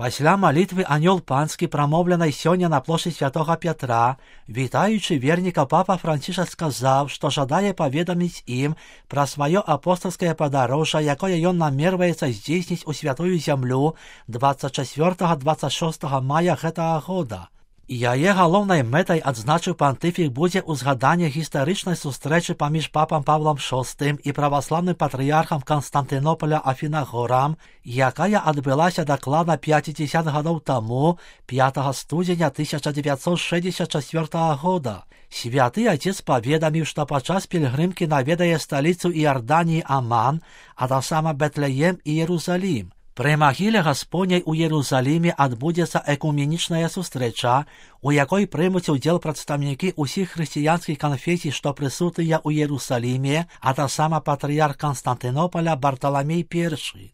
Пасля малітвы анёл панскі, прамоўленай сёння на плошчы святога Пятра, вітаючы верніка папа Францішак сказаў, што жадае паведаміць ім пра сваё апостальскае падарожжа, якое ён намерваецца здзейсніць у святую зямлю 24-26 мая гэтага года. Яе галоўнай мэтай, адзначыў пантыфік, будзе ўзгаданне гістарычнай сустрэчы паміж папам Павлам VI і праваслаўным патрыярхам Канстантынополя Афінагорам, якая адбылася дакладна 50 гадоў таму, 5 студзеня 1964 года. Святы Отец паведаміў, што падчас пільгрымкі наведае сталіцу Іорданіі Аман, а таксама Бэтлеем і Іерусалім. Пры магіле Гаспоняй у Іерусаліме адбудзецца экуменічная сустрэча, у якой прымуць удзел прадстаўнікі ўсіх хрысціянскіх канфесій, што прысутныя ў Іерусаліме, а таксама патрыярх Канстантынополя Барталамей I.